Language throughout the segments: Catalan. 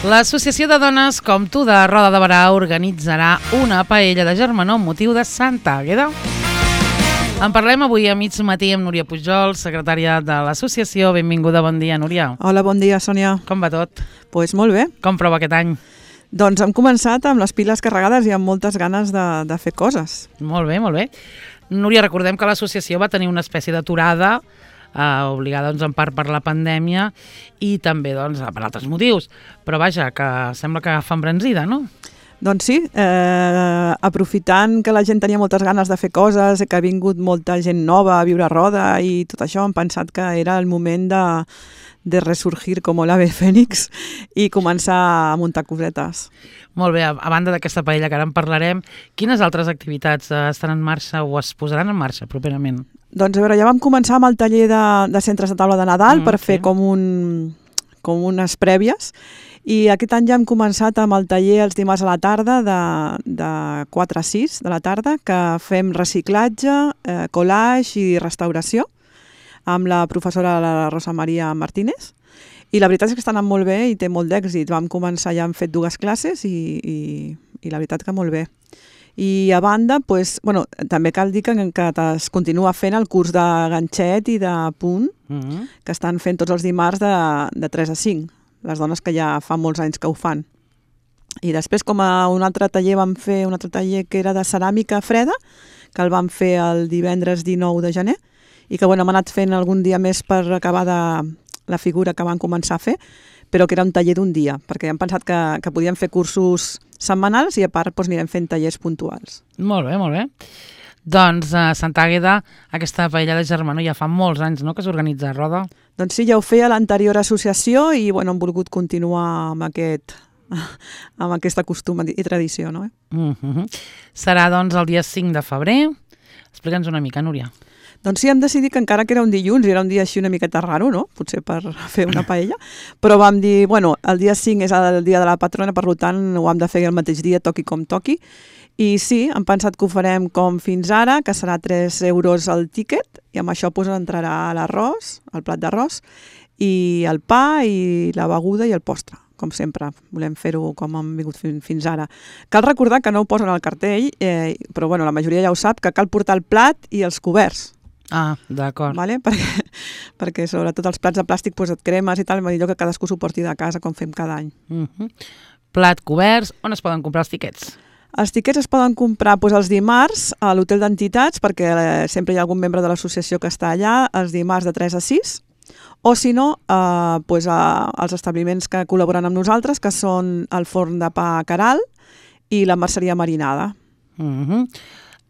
L'Associació de Dones com tu de Roda de Berà organitzarà una paella de germanor amb motiu de Santa Àgueda. En parlem avui a mig matí amb Núria Pujol, secretària de l'associació. Benvinguda, bon dia, Núria. Hola, bon dia, Sònia. Com va tot? Pues molt bé. Com prova aquest any? Doncs hem començat amb les piles carregades i amb moltes ganes de fer coses. Molt bé, molt bé. Núria, recordem que l'associació va tenir una espècie d'aturada obligada en part per la pandèmia i també per altres motius. Però vaja, que sembla que fa embranzida, no? Doncs sí, aprofitant que la gent tenia moltes ganes de fer coses, que ha vingut molta gent nova a viure a Roda i tot això, hem pensat que era el moment de resurgir com l'ave fènix i començar a muntar cosetes. Molt bé, a banda d'aquesta paella que ara en parlarem, quines altres activitats estan en marxa o es posaran en marxa properament? Doncs a veure, ja vam començar amb el taller de centres de taula de Nadal per fer com unes prèvies, i aquest any ja hem començat amb el taller els dimarts a la tarda de 4 a 6 de la tarda, que fem reciclatge, collage i restauració amb la professora la Rosa Maria Martínez. I la veritat és que està anant molt bé i té molt d'èxit. Vam començar, ja hem fet 2 classes i la veritat que molt bé. I a banda, també cal dir que es continua fent el curs de ganxet i de punt, que estan fent tots els dimarts de 3 a 5, les dones que ja fa molts anys que ho fan. I després, com a un altre taller, vam fer un altre taller que era de ceràmica freda, que el vam fer el divendres 19 de gener, i que hem anat fent algun dia més per acabar la figura que van començar a fer, però que era un taller d'un dia, perquè hem pensat que podíem fer cursos setmanals i a part anirem fent tallers puntuals. Molt bé, molt bé. Doncs a Santa Àgueda, aquesta paella de germanor ja fa molts anys, no?, que s'organitza a Roda. Doncs sí, ja ho feia l'anterior associació i hem volgut continuar amb aquesta costum i tradició, no? Serà doncs el dia 5 de febrer. Explica'ns una mica, Núria. Doncs sí, hem decidit que encara que era un dilluns, era un dia així una miqueta raro, no? Potser per fer una paella, però vam dir, el dia 5 és el dia de la patrona, per tant ho hem de fer el mateix dia, toqui com toqui. I sí, hem pensat que ho farem com fins ara, que serà 3 euros el tíquet, i amb això entrarà l'arròs, el plat d'arròs, i el pa, i la beguda i el postre. Com sempre, volem fer-ho com hem vingut fins ara. Cal recordar que no ho posen al cartell, però la majoria ja ho sap, que cal portar el plat i els coberts. Ah, d'acord. Vale? Perquè sobretot els plats de plàstic et cremes i tal, millor que cadascú s'ho porti de casa com fem cada any. Plat, coberts, on es poden comprar els tiquets? Els tiquets es poden comprar els dimarts a l'hotel d'entitats, perquè sempre hi ha algun membre de l'associació que està allà, els dimarts de 3 a 6, o si no, als establiments que col·laboren amb nosaltres, que són el forn de pa Caral i la merceria Marinada.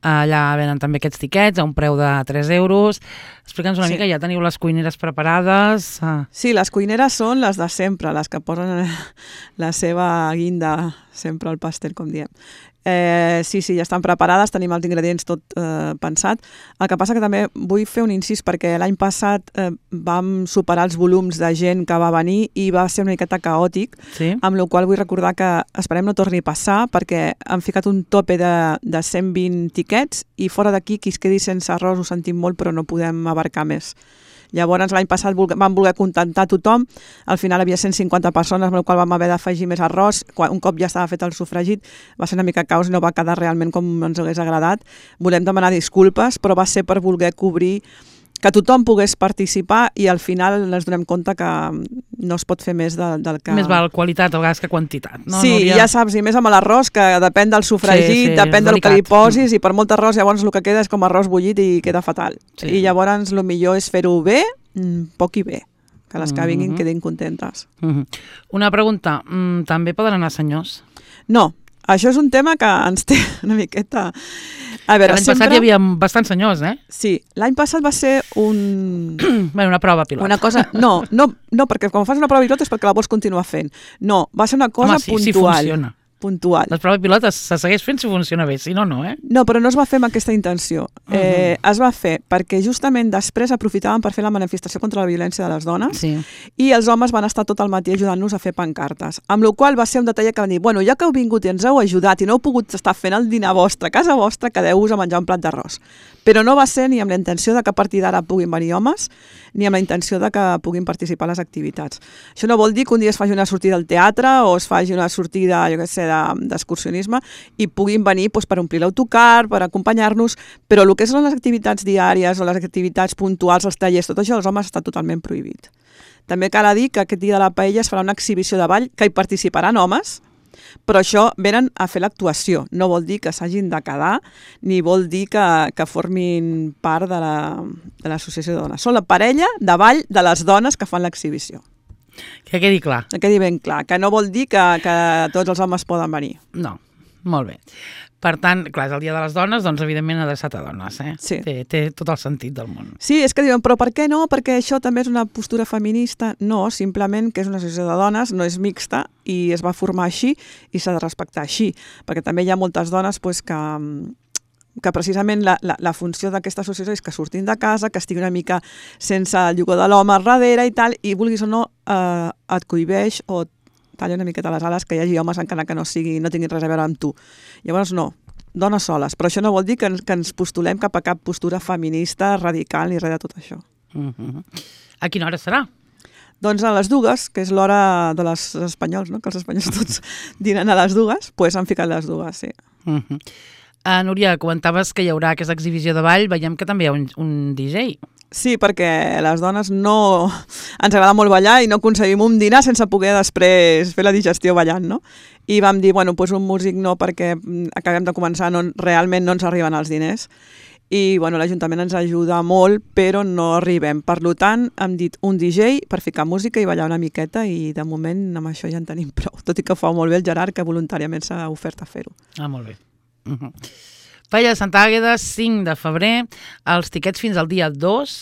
Allà venen també aquests tiquets a un preu de 3 euros. Explica'ns una mica, ja teniu les cuineres preparades? Sí, les cuineres són les de sempre, les que posen la seva guinda sempre al pastel, com diem. Sí, ja estan preparades, tenim els ingredients tot pensat. El que passa que també vull fer un incís, perquè l'any passat vam superar els volums de gent que va venir i va ser una miqueta caòtic, amb la qual vull recordar que esperem no torni a passar, perquè han ficat un tope de 120 tiquets i fora d'aquí qui es quedi sense arròs ho sentim molt, però no podem abarcar més. Llavors l'any passat vam voler contentar tothom, al final havia 150 persones, amb la qual vam haver d'afegir més arròs, un cop ja estava fet el sofregit va ser una mica caos i no va quedar realment com ens hagués agradat. Volem demanar disculpes, però va ser per voler cobrir que tothom pogués participar i al final ens donem compte que no es pot fer més del que... Més val qualitat a vegades que quantitat, no? Sí, Núria? Ja saps, i més amb l'arròs, que depèn del sofregit, depèn del que li posis, i per molt arròs llavors el que queda és com arròs bullit i queda fatal. I llavors el millor és fer-ho bé, poc i bé, que les que vinguin quedin contentes. Una pregunta, també poden anar senyors? No, això és un tema que ens té una miqueta... L'any passat hi havia bastants senyors, eh? Sí, l'any passat va ser una prova pilot. Una cosa... No, perquè quan fas una prova pilot és perquè la vols continuar fent. No, va ser una cosa puntual. Sí funciona. puntual. La prova pilot se segueix fent si funciona bé, si no, no, No, però no es va fer amb aquesta intenció. Es va fer perquè justament després aprofitaven per fer la manifestació contra la violència de les dones i els homes van estar tot el matí ajudant-nos a fer pancartes. Amb la qual va ser un detall que van dir, bueno, ja que heu vingut i ens heu ajudat i no heu pogut estar fent el dinar vostre a casa vostra, quedeu-vos a menjar un plat d'arròs. Però no va ser ni amb la intenció de que a partir d'ara puguin venir homes, ni amb la intenció de que puguin participar a les activitats. Això no vol dir que un dia es faci una sortida al teatre o es faci una sortida, jo què sé, d'excursionisme i puguin venir per omplir l'autocar, per acompanyar-nos, però el que són les activitats diàries o les activitats puntuals, els tallers, tot això, els homes està totalment prohibit. També cal dir que aquest dia de la paella es farà una exhibició de ball que hi participaran homes, però això venen a fer l'actuació. No vol dir que s'hagin de quedar, ni vol dir que formin part de l'associació de dones. Són la parella de ball de les dones que fan l'exhibició. Que quedi clar. Que quedi ben clar, que no vol dir que tots els homes poden venir. No, molt bé. Per tant, clar, és el Dia de les Dones, doncs evidentment adreçat a dones, Sí. Té tot el sentit del món. Sí, és que diuen, però per què no? Perquè això també és una postura feminista. No, simplement que és una associació de dones, no és mixta i es va formar així i s'ha de respectar així, perquè també hi ha moltes dones que precisament la funció d'aquesta associació és que surtin de casa, que estigui una mica sense el llogó de l'home darrere i tal, i vulguis o no, et cohibeix o talla una miqueta les ales que hi hagi homes encara que no tinguin res a veure amb tu. Llavors no, dones soles, però això no vol dir que ens postulem cap a cap postura feminista, radical ni res de tot això. A quina hora serà? Doncs a les 2, que és l'hora de les espanyols, no? Que els espanyols tots dinen a les 2, doncs han ficat les 2, sí. Núria, comentaves que hi haurà aquesta exhibició de ball, veiem que també hi ha un DJ. Sí, perquè les dones no... Ens agrada molt ballar i no aconseguim un dinar sense poder després fer la digestió ballant, no? I vam dir, bueno, doncs un músic no, perquè acabem de començar, realment no ens arriben els diners. I, bueno, l'Ajuntament ens ajuda molt, però no arribem. Per tant, hem dit un DJ per ficar música i ballar una miqueta i, de moment, amb això ja en tenim prou. Tot i que ho fa molt bé el Gerard, que voluntàriament s'ha ofert a fer-ho. Ah, molt bé. Paella de Santa Àgueda, 5 de febrer, els tiquets fins al dia 2.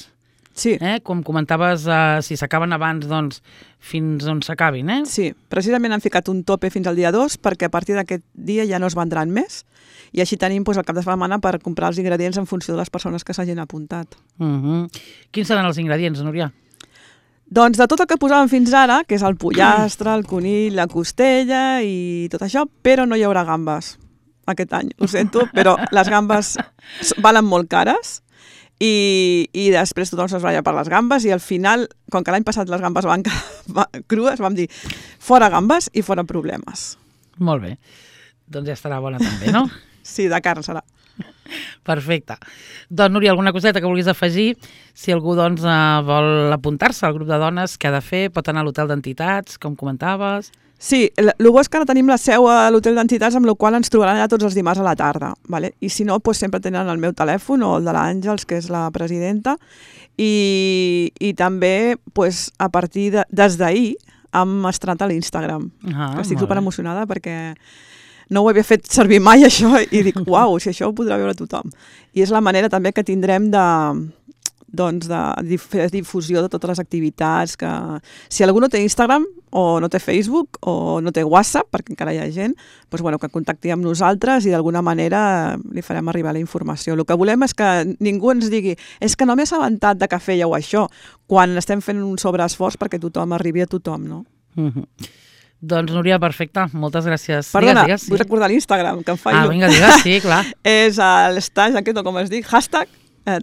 Sí. Com comentaves, si s'acaben abans, doncs fins on s'acabin, Sí, precisament han ficat un tope fins al dia 2 perquè a partir d'aquest dia ja no es vendran més i així tenim el cap de setmana per comprar els ingredients en funció de les persones que s'hagin apuntat. Quins seran els ingredients, Núria? Doncs de tot el que posàvem fins ara, que és el pollastre, el conill, la costella i tot això, però no hi haurà gambes aquest any, ho sento, però les gambes valen molt cares i després tothom s'esbralla per les gambes i al final, com que l'any passat les gambes van crues, vam dir fora gambes i fora problemes. Molt bé. Doncs ja estarà bona també, no? Sí, de carn serà. Perfecte. Doncs, Núria, alguna coseta que vulguis afegir? Si algú doncs, vol apuntar-se al grup de dones, què ha de fer? Pot anar a l'hotel d'entitats, com comentaves? Sí, el bo és que ara tenim la seu a l'hotel d'entitats, amb la qual ens trobaran allà tots els dimarts a la tarda. ¿Vale? I si no, doncs sempre tenen el meu telèfon o el de l'Àngels, que és la presidenta, i també doncs, a partir des d'ahir hem estrenat a l'Instagram. Estic superemocionada perquè no ho havia fet servir mai això i dic, uau, si això ho podrà veure tothom. I és la manera també que tindrem de fer difusió de totes les activitats. Que si algú no té Instagram o no té Facebook o no té WhatsApp, perquè encara hi ha gent, doncs, bueno, que contacti amb nosaltres i d'alguna manera li farem arribar la informació. El que volem és que ningú ens digui és que no m'he assabentat de que fèieu això, quan estem fent un sobreesforç perquè tothom arribi a tothom, no? Doncs, Núria, perfecte. Moltes gràcies. Perdona, digues, vull recordar l'Instagram, que em fallo. Vinga, digues, sí, clar. És l'hashtag aquest, o com es diu, hashtag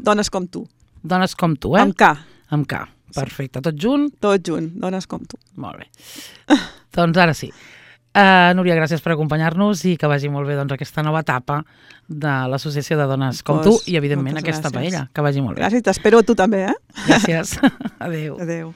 Dones com tu. Dones com tu, Amb K. Amb K, perfecte. Tot junt? Tot junt, dones com tu. Molt bé. Doncs ara sí. Núria, gràcies per acompanyar-nos i que vagi molt bé aquesta nova etapa de l'Associació de Dones com tu i, evidentment, aquesta paella. Que vagi molt bé. Gràcies, t'espero a tu també, Gràcies. Adéu. Adéu.